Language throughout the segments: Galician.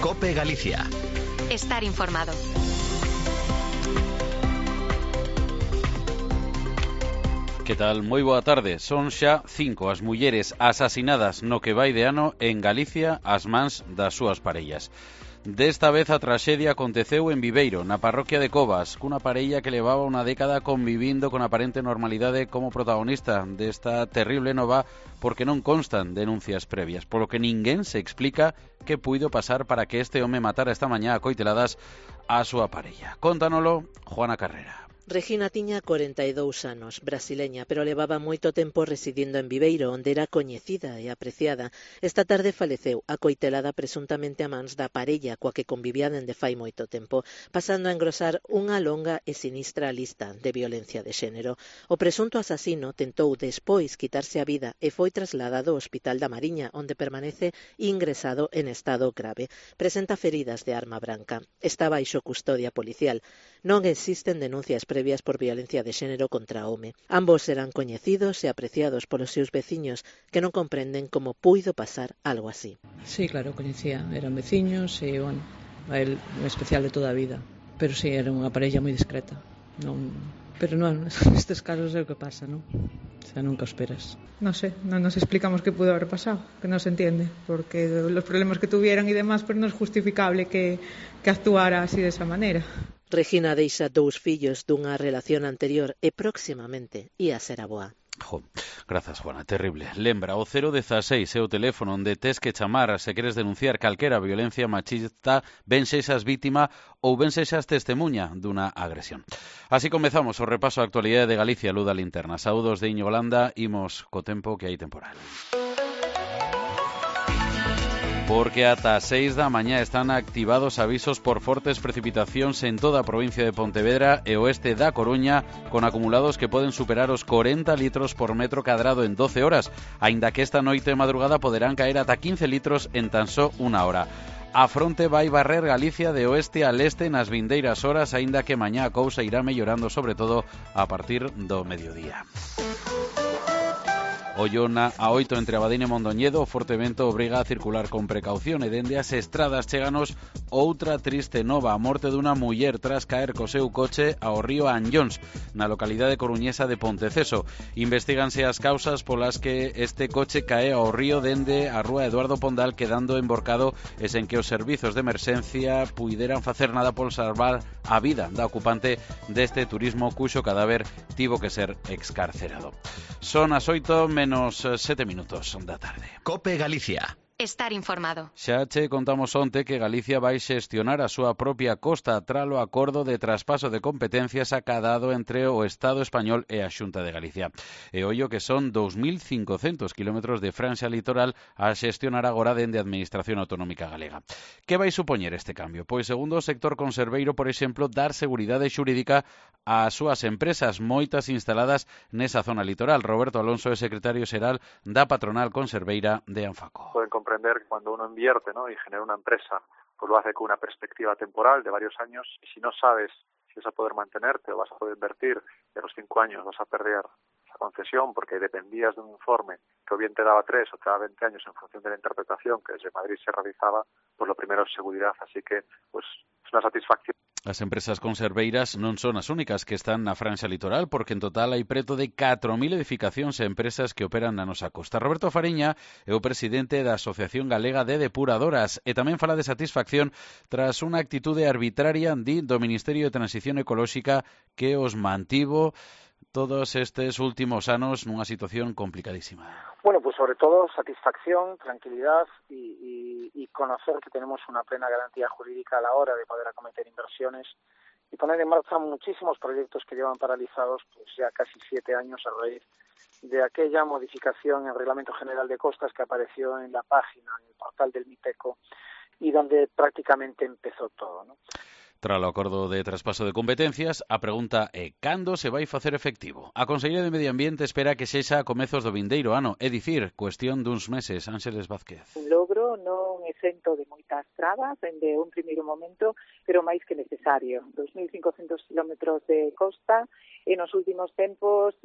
COPE Galicia. Estar informado. Que tal? Moi boa tarde. Son xa 5 as mulleres asasinadas no que vai de ano en Galicia ás mans das súas parellas. Desta vez a traxedia aconteceu en Viveiro, na parroquia de Covas, cunha parella que levaba unha década convivindo con aparente normalidade como protagonista desta terrible nova, porque non constan denuncias previas, polo que ninguén se explica que puido pasar para que este home matara esta mañá a coiteladas a súa parella. Contanolo Juana Carrera. Regina tiña 42 anos, brasileña, pero levaba moito tempo residindo en Viveiro, onde era coñecida e apreciada. Esta tarde faleceu, acoitelada presuntamente a mans da parella coa que convivía dende fai moito tempo, pasando a engrosar unha longa e sinistra lista de violencia de xénero. O presunto asasino tentou despois quitarse a vida e foi trasladado ao Hospital da Mariña, onde permanece ingresado en estado grave. Presenta feridas de arma branca. Está baixo custodia policial. Non existen denuncias previas por violencia de xénero contra o home. Ambos serán coñecidos e apreciados polos seus veciños que non comprenden como puido pasar algo así. Sí, claro, coñecía, eran veciños e, bueno, a él un especial de toda a vida. Pero sí, era unha parella moi discreta. Pero non, nestes casos é o que pasa, non? O sea, nunca o esperas. No sé, non nos explicamos que pudo haber pasado, que non se entiende, porque los problemas que tuvieran e demás, pues non é justificable que actuara así de esa manera. Regina deixa 2 fillos dunha relación anterior e próximamente ia ser aboa. Grazas, Juana, terrible. Lembra, o 016 é o teléfono onde tes que chamar se queres denunciar calquera violencia machista, ben sexas vítima ou ben sexas testemuña dunha agresión. Así comezamos o repaso á actualidade de Galicia, Luz da Linterna. Saúdos de Íñigo Landa, imos co tempo que hai temporal. Porque ata 6 da mañá están activados avisos por fortes precipitacións en toda a provincia de Pontevedra e oeste da Coruña, con acumulados que poden superar os 40 litros por metro cadrado en 12 horas, aínda que esta noite e madrugada poderán caer ata 15 litros en tan só unha hora. A fronte vai barrer Galicia de oeste a leste nas vindeiras horas, aínda que mañá a cousa irá mellorando, sobre todo a partir do mediodía. Ollona a 8 entre Abadín e Mondoñedo, o forte vento obriga a circular con precaución e dende as estradas cheganos outra triste nova, a morte dunha muller tras caer co seu coche ao río Anllóns, na localidade coruñesa de Ponteceso. Investíganse as causas polas que este coche cae ao río dende a rúa Eduardo Pondal, quedando emborcado e sen que os servizos de emerxencia puideran facer nada por salvar a vida da ocupante deste turismo cuxo cadáver tivo que ser excarcerado. Son as 8 menos 7 minutos da tarde. COPE Galicia. Estar informado. Xa che contamos onte que Galicia vai xestionar a súa propia costa tralo acordo de traspaso de competencias acadado entre o Estado español e a Xunta de Galicia. E ollo que son 2.500 kilómetros de franxa litoral a xestionar agora dende a Administración Autonómica Galega. Que vai supoñer este cambio? Pois segundo o sector conserveiro, por exemplo, dar seguridade xurídica ás súas empresas, moitas instaladas nesa zona litoral. Roberto Alonso é secretario xeral da patronal conserveira de Anfaco. Pueden comprender que cuando uno invierte, ¿no?, y genera una empresa, pues lo hace con una perspectiva temporal de varios años, y si no sabes si vas a poder mantenerte o vas a poder invertir, y a los 5 años vas a perder esa concesión porque dependías de un informe que o bien te daba 3 o te daba 20 años en función de la interpretación que desde Madrid se realizaba, pues lo primero es seguridad, así que pues es una satisfacción. As empresas conserveiras non son as únicas que están na franxa litoral, porque en total hai preto de 4.000 edificacións e empresas que operan na nosa costa. Roberto Fariña é o presidente da Asociación Galega de Depuradoras e tamén fala de satisfacción tras unha actitude arbitraria do Ministerio de Transición Ecolóxica que os mantivo todos estes últimos anos nunha situación complicadísima. Bueno, pues sobre todo satisfacción, tranquilidad y conocer que tenemos una plena garantía jurídica a la hora de poder acometer inversiones y poner en marcha muchísimos proyectos que llevan paralizados pues ya casi 7 años a raíz de aquella modificación en el Reglamento General de Costas que apareció en la página, en el portal del MIPECO y donde prácticamente empezó todo, ¿no? Tras o acordo de traspaso de competencias, a pregunta é cando se vai facer efectivo. A Conselleira de Medio Ambiente espera que sexa a comezos do vindeiro ano, é dicir, cuestión duns meses. Ángeles Vázquez. Un logro non exento de moitas trabas dende un primeiro momento, pero máis que necesario. 2.500 kilómetros de costa e nos últimos tempos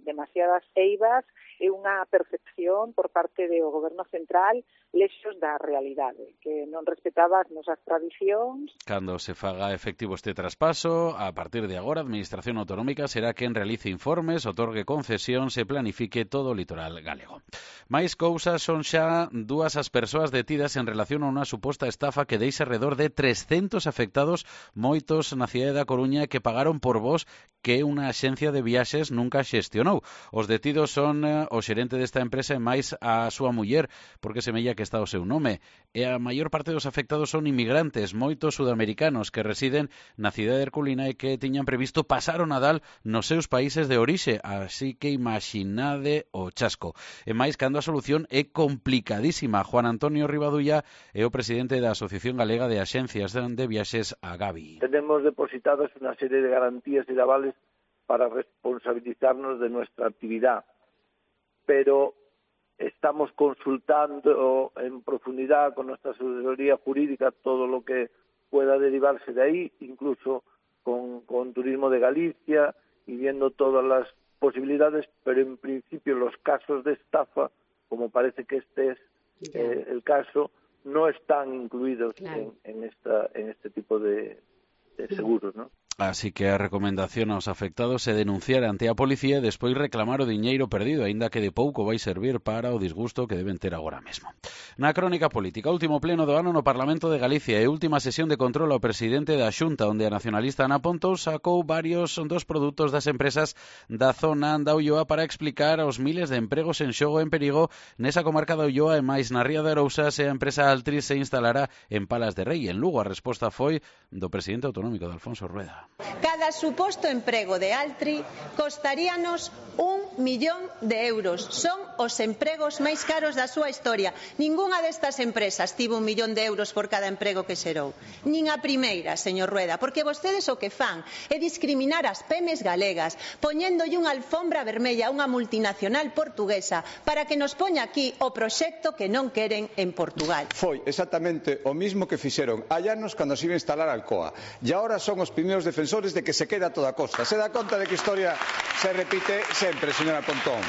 demasiadas eivas e unha percepción por parte do Goberno central lexos da realidade, que non respetaba as nosas tradicións. Cando se faga efectivo este traspaso, a partir de agora, a Administración Autonómica será quen realice informes, otorgue concesións e planifique todo o litoral galego. Máis cousas, son xa dúas as persoas detidas en relación a unha suposta estafa que deixa alrededor de 300 afectados, moitos na cidade da Coruña, que pagaron por vos que unha axencia de viaxes nunca xestionou. Os detidos son o xerente desta empresa e máis a súa muller, porque semella que está o seu nome. E a maior parte dos afectados son inmigrantes, moitos sudamericanos que residen na cidade de Herculina e que tiñan previsto pasar o Nadal nos seus países de orixe, así que imaginade o chasco. E máis cando a solución é complicadísima. Juan Antonio Rivadulla é o presidente da Asociación Galega de Axencias de Viaxes, Agavi. Tenemos depositadas una serie de garantías y de avales para responsabilizarnos de nuestra actividad, pero estamos consultando en profundidad con nuestra asesoría jurídica todo lo que pueda derivarse de ahí, incluso con Turismo de Galicia, y viendo todas las posibilidades, pero en principio los casos de estafa, como parece que este es el caso, no están incluidos en este tipo de seguros, ¿no? Así que a recomendación aos afectados é denunciar ante a policía e despois reclamar o diñeiro perdido, aínda que de pouco vai servir para o disgusto que deben ter agora mesmo. Na crónica política, último pleno do ano no Parlamento de Galicia e última sesión de control ao presidente da Xunta, onde a nacionalista Ana Pontón sacou varios dos produtos das empresas da zona da Ulloa para explicar aos miles de empregos en xogo en perigo nesa comarca da Ulloa e máis na Ría de Arousas, e a empresa Altri se instalará en Palas de Rei. En Lugo a resposta foi do presidente autonómico de Alfonso Rueda. Cada suposto emprego de Altri costaríanos 1 millón de euros. Son os empregos máis caros da súa historia. Ningunha destas empresas tivo 1 millón de euros por cada emprego que xerou. Nin a primeira, señor Rueda, porque vostedes o que fan é discriminar as pemes galegas, poñéndolle unha alfombra vermella a unha multinacional portuguesa para que nos poña aquí o proxecto que non queren en Portugal. Foi exactamente o mismo que fixeron hai anos cando se iba a instalar Alcoa. E agora son os primeiros defensores de que se queda toda a costa. Se dá conta de que a historia se repite sempre, señora Pontón.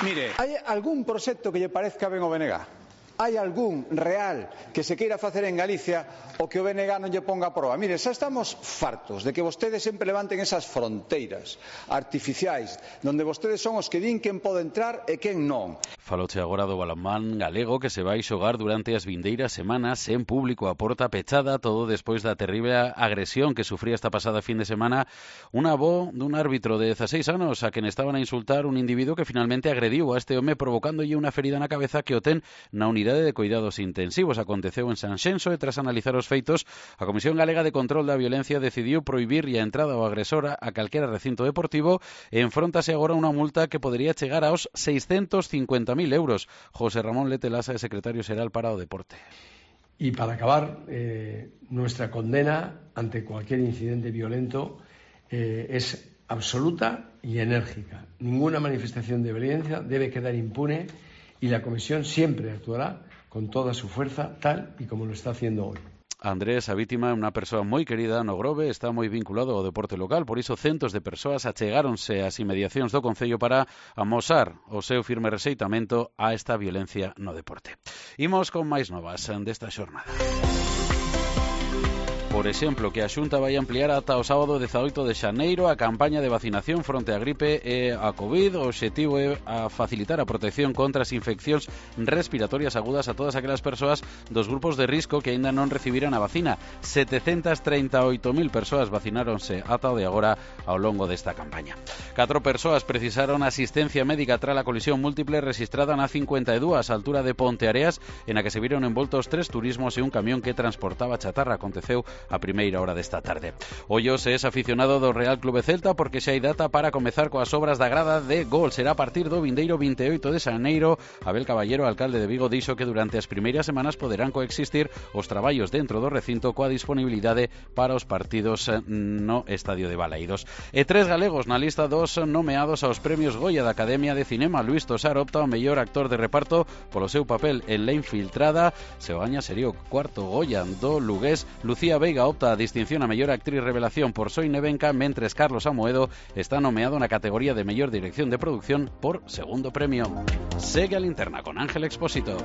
Mire, hai algún proxecto que lle parezca ben o BNG? Hai algún real que se queira facer en Galicia o que o BNG non lle ponga a proba? Mire, xa estamos fartos de que vostedes sempre levanten esas fronteiras artificiais onde vostedes son os que din quen pode entrar e quen non. Faloche agora do balonmán galego que se vai xogar durante as vindeiras semanas en público a porta pechada, todo despois da terrible agresión que sufría esta pasada fin de semana un avó dun árbitro de 16 anos a quen estaban a insultar un individuo que finalmente agrediu a este home provocándolle unha ferida na cabeza que o ten na unidade de cuidados intensivos. Aconteceu en Sanxenxo e tras analizar os feitos, a Comisión Galega de Control da Violencia decidiu prohibir a entrada ao agresor a calquera recinto deportivo e enfróntase agora unha multa que podería chegar aos 650.000 euros. José Ramón Letelasa é secretario xeral para o deporte. Y para acabar, nuestra condena ante cualquier incidente violento es absoluta y enérgica. Ninguna manifestación de violencia debe quedar impune y la Comisión siempre actuará con toda su fuerza, tal y como lo está haciendo hoy. Andrés, a vítima é unha persoa moi querida no Grove, está moi vinculado ao deporte local, por iso centos de persoas achegáronse ás inmediacións do Concello para amosar o seu firme rexeitamento a esta violencia no deporte. Imos con máis novas desta xornada. Por exemplo, que a Xunta vai ampliar ata o sábado 18 de xaneiro a campaña de vacinación fronte á gripe e a COVID. O obxectivo é a facilitar a protección contra as infeccións respiratorias agudas a todas aquelas persoas dos grupos de risco que aínda non recibiran a vacina. 738.000 persoas vacináronse ata o de agora ao longo desta campaña. 4 persoas precisaron asistencia médica tras a colisión múltiple registrada na 52 á altura de Ponteareas, en a que se viron envoltos 3 turismos e un camión que transportaba chatarra. Aconteceu a primeira hora desta tarde. Ollos é aficionado do Real Clube Celta porque xa hai data para comezar coas obras da grada de gol. Será a partir do vindeiro 28 de xaneiro. Abel Caballero, alcalde de Vigo, dixo que durante as primeiras semanas poderán coexistir os traballos dentro do recinto coa disponibilidade para os partidos no Estadio de Balaídos. E 3 galegos na lista dos nomeados aos premios Goya da Academia de Cinema. Luís Tosar opta ao mellor actor de reparto polo seu papel en La Infiltrada. Se o gaña sería o 4º Goya do lugués. Lucía Veiga Amiga opta a distinción a mellor actriz revelación por Soy Nevenka, mentres Carlos Amoedo está nomeado na categoría de mellor dirección de producción por segundo premio. Segue a Linterna con Ángel Expósito.